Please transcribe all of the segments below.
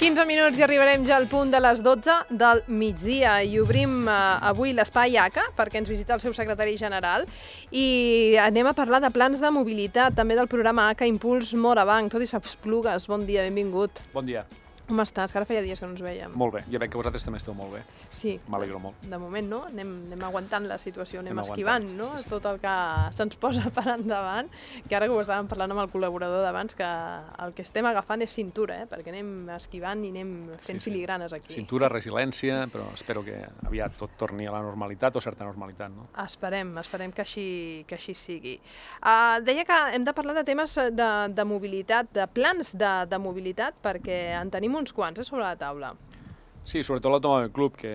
15 minuts i arribarem ja al punt de les 12 del migdia i obrim avui l'espai ACA perquè ens visita el seu secretari general i anem a parlar de plans de mobilitat, també del programa ACA Impuls Morabanc. Tot i Esplugues, bon dia, benvingut. Bon dia. Com estàs? Que ara feia dies que no ens veiem. Molt bé, ja veig que vosaltres també esteu molt bé. Sí. M'alegro molt. De moment, no? Anem aguantant la situació, anem esquivant, no? Sí. Tot el que se'ns posa per endavant, que ara que ho estàvem parlant amb el col·laborador d'abans, que el que estem agafant és cintura, perquè anem esquivant i anem fent filigranes aquí. Cintura, resiliència, però espero que aviat tot torni a la normalitat o certa normalitat, no? Esperem que així sigui. Deia que hem de parlar de temes de mobilitat, de plans de mobilitat, perquè en tenim uns quants sobre la taula. Sí, sobretot l'Automòbil Club, que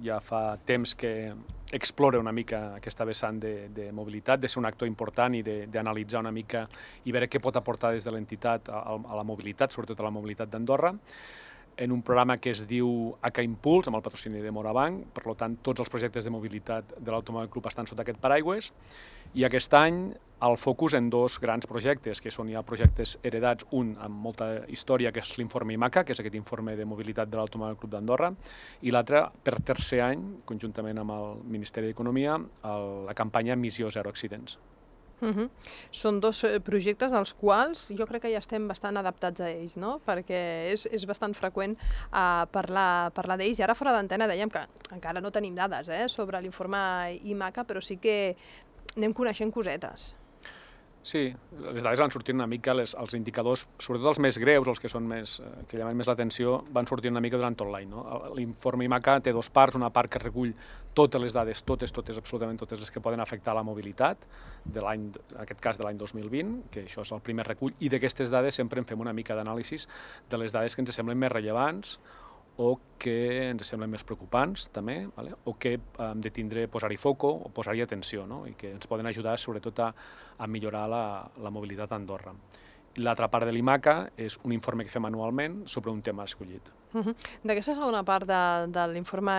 ja fa temps que explora una mica aquesta vessant de mobilitat, de ser un actor important i d'analitzar una mica i veure què pot aportar des de l'entitat a la mobilitat, sobretot a la mobilitat d'Andorra, en un programa que es diu ACA Impuls, amb el patrocini de Morabanc. Per tant, tots els projectes de mobilitat de l'Automòbil Club estan sota aquest paraigües, i aquest any el focus en dos grans projectes, que són ja projectes heredats, un amb molta història, que és l'informe IMACA, que és aquest informe de mobilitat de l'Automòbil Club d'Andorra, i l'altre, per tercer any, conjuntament amb el Ministeri d'Economia, la campanya Missió Zero Accidents. Són dos projectes als quals jo crec que ja estem bastant adaptats a ells, no? Perquè és bastant freqüent parlar d'ells, i ara fora d'antena dèiem que encara no tenim dades sobre l'informe IMACA, però sí que anem coneixent cosetes. Sí, les dades van sortint una mica, els indicadors, sobretot els més greus, els que són que llamen més l'atenció, van sortir una mica durant tot l'any, no? L'informe IMACA té dues parts, una part que recull totes les dades, totes, absolutament totes les que poden afectar la mobilitat, en aquest cas de l'any 2020, que això és el primer recull, i d'aquestes dades sempre en fem una mica d'anàlisi de les dades que ens semblen més rellevants o que ens semblen més preocupants, també, o que hem de tindre, posar-hi foco o posar-hi atenció, i que ens poden ajudar sobretot a millorar la mobilitat a Andorra. L'altra part de l'IMACA és un informe que fem anualment sobre un tema escollit. D'aquesta segona part de l'informe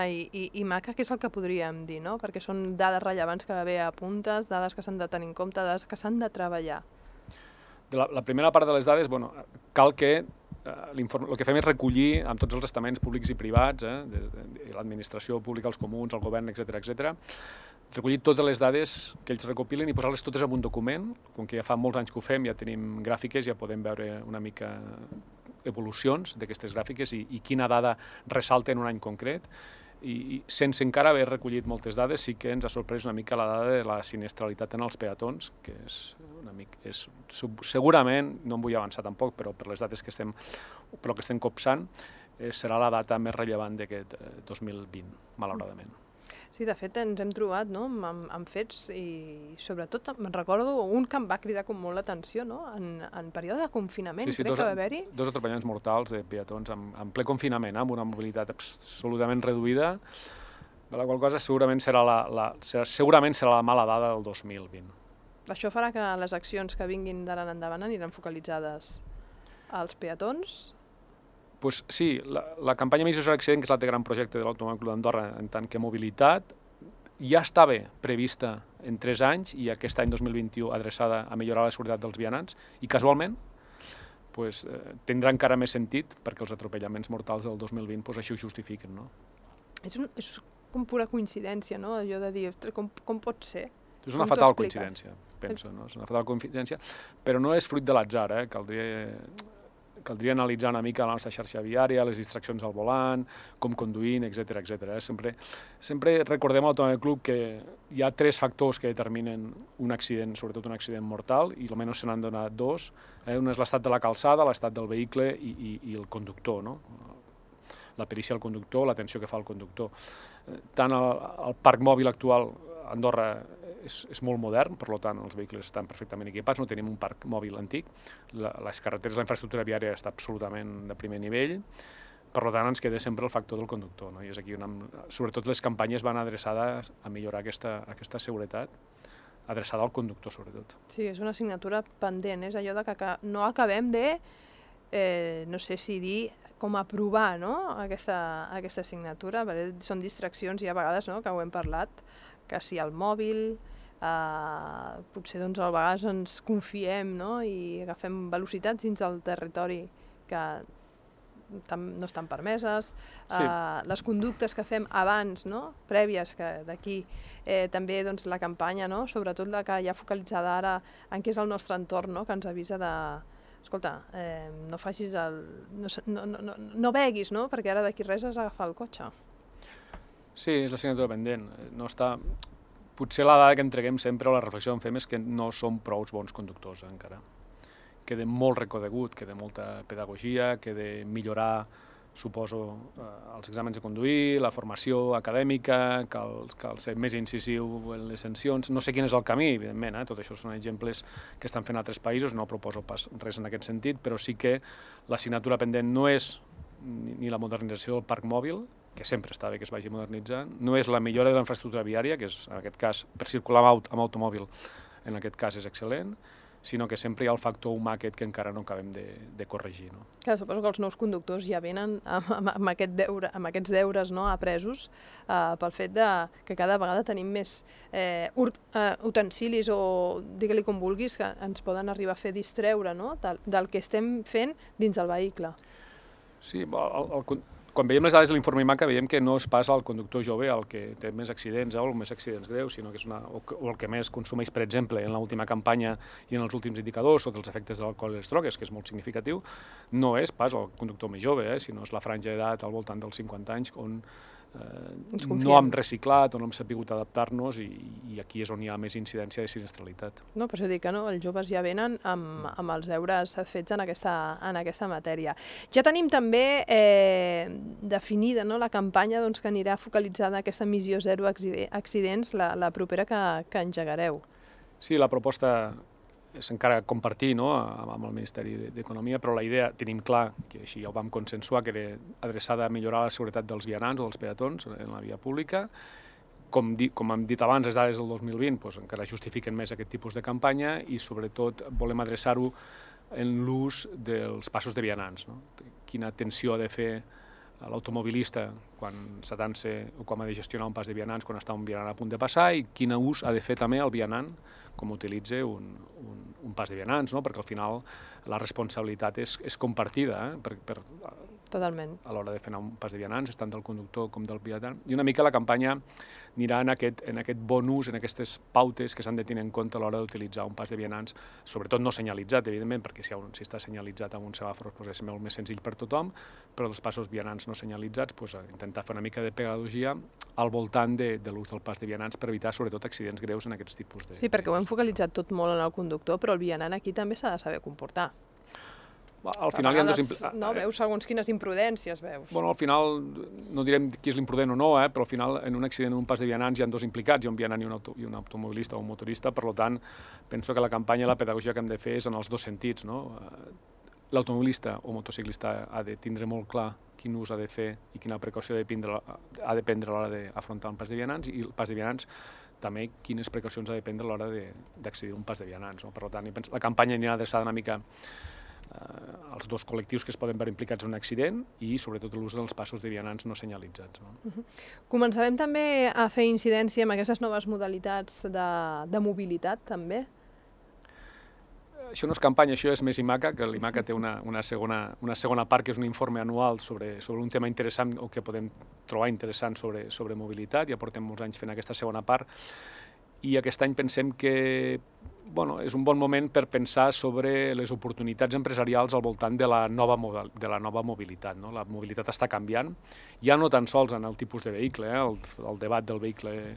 IMACA, què és el que podríem dir, no? Perquè són dades rellevants que bé apuntes, dades que s'han de tenir en compte, dades que s'han de treballar. La primera part de les dades, cal que el que fem és recollir amb tots els estaments públics i privats, l'administració pública, els comuns, el govern, etc., recollir totes les dades que ells recopilen i posar-les totes en un document. Com que ja fa molts anys que ho fem, ja tenim gràfiques, ja podem veure una mica evolucions d'aquestes gràfiques i quina dada ressalta en un any concret. I sense encara haver recollit moltes dades, sí que ens ha sorprès una mica la dada de la sinistralitat en els peatons, que és segurament, no em vull avançar tampoc, però per les dates que estem copsant, serà la data més rellevant d'aquest 2020, malauradament. Sí, de fet ens hem trobat amb fets i sobretot me'n recordo un que em va cridar com molt l'atenció, en període de confinament, crec que va haver-hi. Dos atropellaments mortals de peatons en ple confinament, amb una mobilitat absolutament reduïda, de la qual cosa segurament serà la mala dada del 2020. Això farà que les accions que vinguin d'ara en endavant aniran focalitzades als peatons? Pues sí, la campanya Missió Zero Accident, que és l'altre gran projecte de l'Automòbil Club d'Andorra en tant que mobilitat, ja estava prevista en 3 anys i aquest any 2021 adreçada a millorar la seguretat dels vianants i casualment tindrà encara més sentit perquè els atropellaments mortals del 2020 així ho justifiquen. És com pura coincidència, no? Allò de dir, com pot ser? És una fatal coincidència, penso, no? És una fatal coincidència, però no és fruit de l'atzar, Caldria analitzar una mica la nostra xarxa viària, les distraccions al volant, com conduint, etc. Sempre recordem a l'Automòbil Club que hi ha 3 factors que determinen un accident, sobretot un accident mortal, i almenys se n'han donat 2. Un és l'estat de la calçada, l'estat del vehicle i el conductor, no? La perícia del conductor, l'atenció que fa el conductor. Tant el parc mòbil actual a Andorra és molt modern, per tant els vehicles estan perfectament equipats, no tenim un parc mòbil antic, les carreteres, la infraestructura viària està absolutament de primer nivell, per tant ens queda sempre el factor del conductor, i és aquí sobretot les campanyes van adreçades a millorar aquesta seguretat, adreçada al conductor sobretot. Sí, és una assignatura pendent, és allò que no acabem de, no sé si dir, com aprovar aquesta assignatura, perquè són distraccions i a vegades, que ho hem parlat, que si el mòbil, potser a vegades ens confiem i agafem velocitats dins del territori que no estan permeses, Sí. les conductes que fem abans, no? Prèvies, que d'aquí també doncs, la campanya, no? Sobretot la que hi ha focalitzada ara en què és el nostre entorn, no? Que ens avisa de... Escolta, no facis el... No beguis, no? Perquè ara d'aquí res has d'agafar el cotxe. Sí, és l'assignatura pendent. No està... Potser la dada que entreguem sempre o la reflexió que fem és que no som prou bons conductors encara. Queda molt reconegut, queda molta pedagogia, queda millorar, suposo, els exàmens de conduir, la formació acadèmica, cal ser més incisiu en les sancions. No sé quin és el camí, evidentment, tot això són exemples que estan fent altres països, no proposo pas res en aquest sentit, però sí que l'assignatura pendent no és ni la modernització del parc mòbil, que sempre està bé que es vagi modernitzant, no és la millora de la infraestructura viària, que és, en aquest cas, per circular amb automòbil, en aquest cas és excel·lent, sinó que sempre hi ha el factor humà aquest que encara no acabem de corregir. No? Clar, suposo que els nous conductors ja venen amb aquests deures no, apresos pel fet que cada vegada tenim més utensilis o digue-li com vulguis que ens poden arribar a fer distreure no, del que estem fent dins del vehicle. Sí, quan veiem les dades de l'informe IMACA veiem que no és pas el conductor jove el que té més accidents o més accidents greus, sinó que és o el que més consumeix, per exemple, en l'última campanya i en els últims indicadors sobre els efectes de l'alcohol i les drogues, que és molt significatiu, no és pas el conductor més jove, sinó és la franja d'edat al voltant dels 50 anys on no hem reciclat o no hem sabut adaptar-nos i aquí és on hi ha més incidència de sinistralitat. No, per això dic que no, els joves ja venen amb els deures fets en aquesta matèria. Ja tenim també definida no, la campanya doncs, que anirà focalitzada aquesta missió zero accidents, la propera que engegareu. Sí, la proposta és encara compartir no, amb el Ministeri d'Economia, però la idea tenim clar, que així ja ho vam consensuar, que era adreçada a millorar la seguretat dels vianants o dels peatons en la via pública. Com hem dit abans, les dades del 2020 doncs, encara justifiquen més aquest tipus de campanya i sobretot volem adreçar-ho en l'ús dels passos de vianants. No? Quina atenció ha de fer l'automobilista quan s'atansa o com ha de gestionar un pas de vianants quan està un vianant a punt de passar i quin ús ha de fer també el vianant com utilitza un pas de vianants, no? Perquè al final la responsabilitat és compartida Totalment. A l'hora de fer un pas de vianants, tant del conductor com del vianant. I una mica la campanya anirà en aquest bon ús, en aquestes pautes que s'han de tenir en compte a l'hora d'utilitzar un pas de vianants, sobretot no senyalitzat, evidentment, perquè si està senyalitzat amb un semàfor és molt més senzill per tothom, però dels passos vianants no senyalitzats intentar fer una mica de pedagogia al voltant de l'ús del pas de vianants per evitar sobretot accidents greus en aquests tipus de... Sí, perquè ho hem focalitzat tot molt en el conductor, però el vianant aquí també s'ha de saber comportar. Al final hi ha no, veus segons quines imprudències veus. Bueno, al final, no direm qui és l'imprudent o no, però al final en un accident en un pas de vianants hi ha dos implicats, hi ha un vianant i un automobilista o un motorista, per tant, penso que la campanya i la pedagogia que hem de fer és en els dos sentits, no? L'automobilista o motociclista ha de tindre molt clar quin ús ha de fer i quina precaució ha de prendre a l'hora d'afrontar un pas de vianants i el pas de vianants també quines precaucions ha de prendre a l'hora d'accedir a un pas de vianants. No? Per tant, la campanya anirà adreçada una mica als dos col·lectius que es poden veure implicats en un accident i sobretot l'ús dels passos de vianants no senyalitzats. No? Començarem també a fer incidència amb aquestes noves modalitats de mobilitat també? Això no és campanya, això és més IMACA, que l'IMACA té una segona part que és un informe anual sobre un tema interessant o que podem trobar interessant sobre mobilitat. Ja portem molts anys fent aquesta segona part i aquest any pensem que és un bon moment per pensar sobre les oportunitats empresarials al voltant de la nova mobilitat. No? La mobilitat està canviant, ja no tan sols en el tipus de vehicle, el debat del vehicle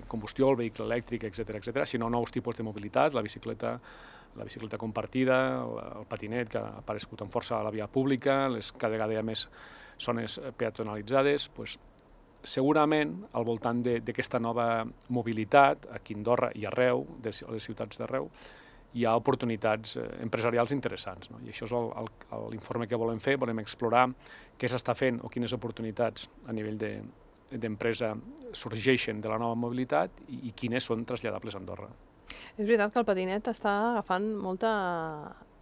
combustió, el vehicle elèctric, etc., sinó nous tipus de mobilitat, la bicicleta compartida, el patinet que ha aparegut amb força a la via pública, cada vegada hi ha més zones peatonalitzades, segurament, al voltant d'aquesta nova mobilitat, aquí a Andorra i arreu, a les ciutats d'arreu, hi ha oportunitats empresarials interessants. No? I això és l'informe que volem fer, volem explorar què s'està fent o quines oportunitats a nivell d'empresa sorgeixen de la nova mobilitat i quines són traslladables a Andorra. És veritat que el patinet està agafant molta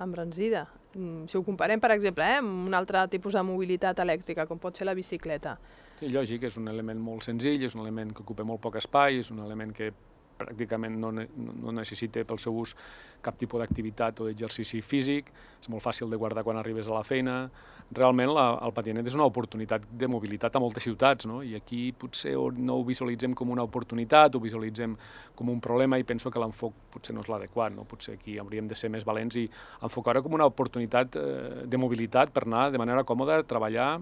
embranzida. Si ho comparem, per exemple, amb un altre tipus de mobilitat elèctrica, com pot ser la bicicleta. Sí, lògic, és un element molt senzill, és un element que ocupa molt poc espai, és un element que pràcticament no necessita pel seu ús cap tipus d'activitat o d'exercici físic, és molt fàcil de guardar quan arribes a la feina. Realment el patinet és una oportunitat de mobilitat a moltes ciutats, no? I aquí potser no ho visualitzem com una oportunitat, ho visualitzem com un problema i penso que l'enfoc potser no és l'adequat, no? Potser aquí hauríem de ser més valents i enfocar-ho com una oportunitat de mobilitat per anar de manera còmoda a treballar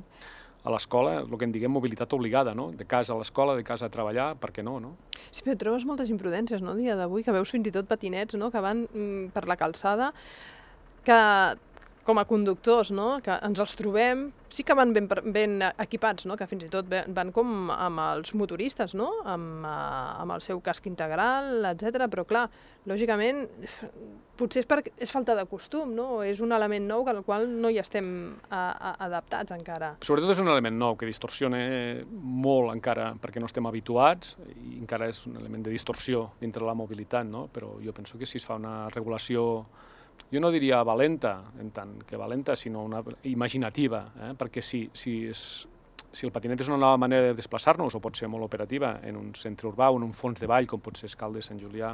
a l'escola, el que en diguem mobilitat obligada, no? De casa a l'escola, de casa a treballar, per què no, no? Sí, però trobes moltes imprudències, no?, dia d'avui, que veus fins i tot patinets, no?, que van per la calçada, que com a conductors, no?, que ens els trobem, sí que van ben equipats, no?, que fins i tot van com amb els motoristes, no?, amb el seu casc integral, etc. Però clar, lògicament, potser és falta de costum, no?, o és un element nou al qual no hi estem adaptats encara. Sobretot és un element nou que distorsiona molt encara perquè no estem habituats i encara és un element de distorsió dintre la mobilitat, no? Però jo penso que si es fa una regulació, jo no diria valenta, en tant que valenta, sinó una imaginativa, perquè si el patinet és una nova manera de desplaçar-nos, o pot ser molt operativa, en un centre urbà o en un fons de vall, com pot ser Escaldes, Sant Julià,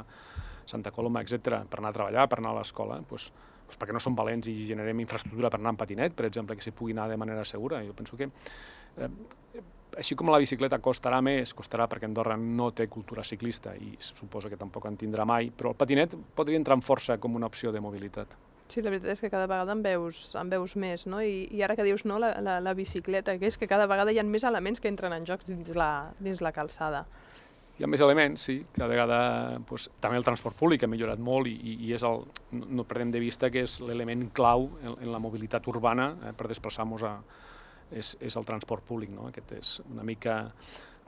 Santa Coloma, etc., per anar a treballar, per anar a l'escola, doncs perquè no som valents i generem infraestructura per anar amb patinet, per exemple, que s'hi pugui anar de manera segura. Jo penso que, així com la bicicleta costarà més, costarà perquè Andorra no té cultura ciclista i suposo que tampoc en tindrà mai, però el patinet podria entrar amb força com una opció de mobilitat. Sí, la veritat és que cada vegada en veus més, no? I ara que dius, no, la bicicleta, que és que cada vegada hi ha més elements que entren en joc dins la calçada. Hi ha més elements, sí, cada vegada també el transport públic ha millorat molt i no perdem de vista que és l'element clau en la mobilitat urbana per desplaçar-nos és el transport públic, no? Aquest és una mica...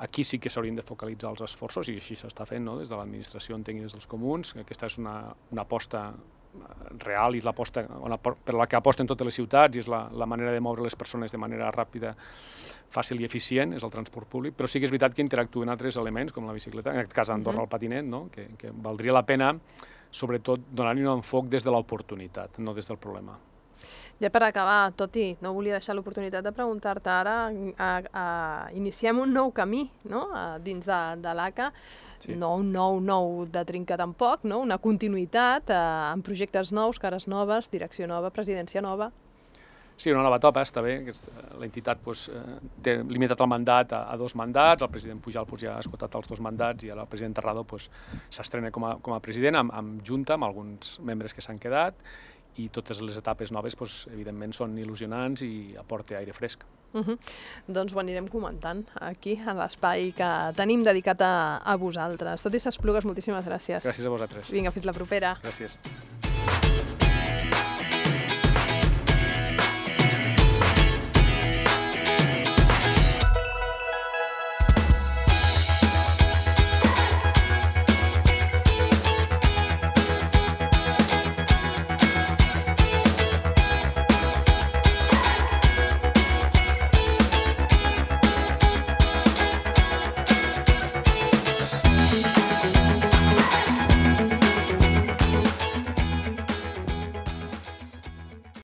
Aquí sí que s'haurien de focalitzar els esforços i així s'està fent, no? Des de l'administració, entenc, des dels comuns. Aquesta és una aposta real i és l'aposta per la que aposten totes les ciutats i és la manera de moure les persones de manera ràpida, fàcil i eficient, és el transport públic, però sí que és veritat que interactuen altres elements, com la bicicleta, en aquest cas a Andorra el patinet, no? Que valdria la pena, sobretot, donar-hi un enfoc des de l'oportunitat, no des del problema. Ja per acabar, Toti, no volia deixar l'oportunitat de preguntar-te ara, iniciem un nou camí, no?, dins de l'ACA, sí. No un nou de trinca tampoc, no?, una continuïtat amb projectes nous, cares noves, direcció nova, presidència nova. Sí, una nova etapa, està bé. L'entitat té limitat el mandat a 2 mandats, el president Pujal ja ha esgotat els 2 mandats i ara el president Terrado s'estrena com a president amb junta, amb alguns membres que s'han quedat, i totes les etapes noves, evidentment, són il·lusionants i aporta aire fresc. Doncs ho anirem comentant aquí, a l'espai que tenim dedicat a vosaltres. Tot i s'Esplugues, moltíssimes gràcies. Gràcies a vosaltres. Vinga, fins la propera. Gràcies.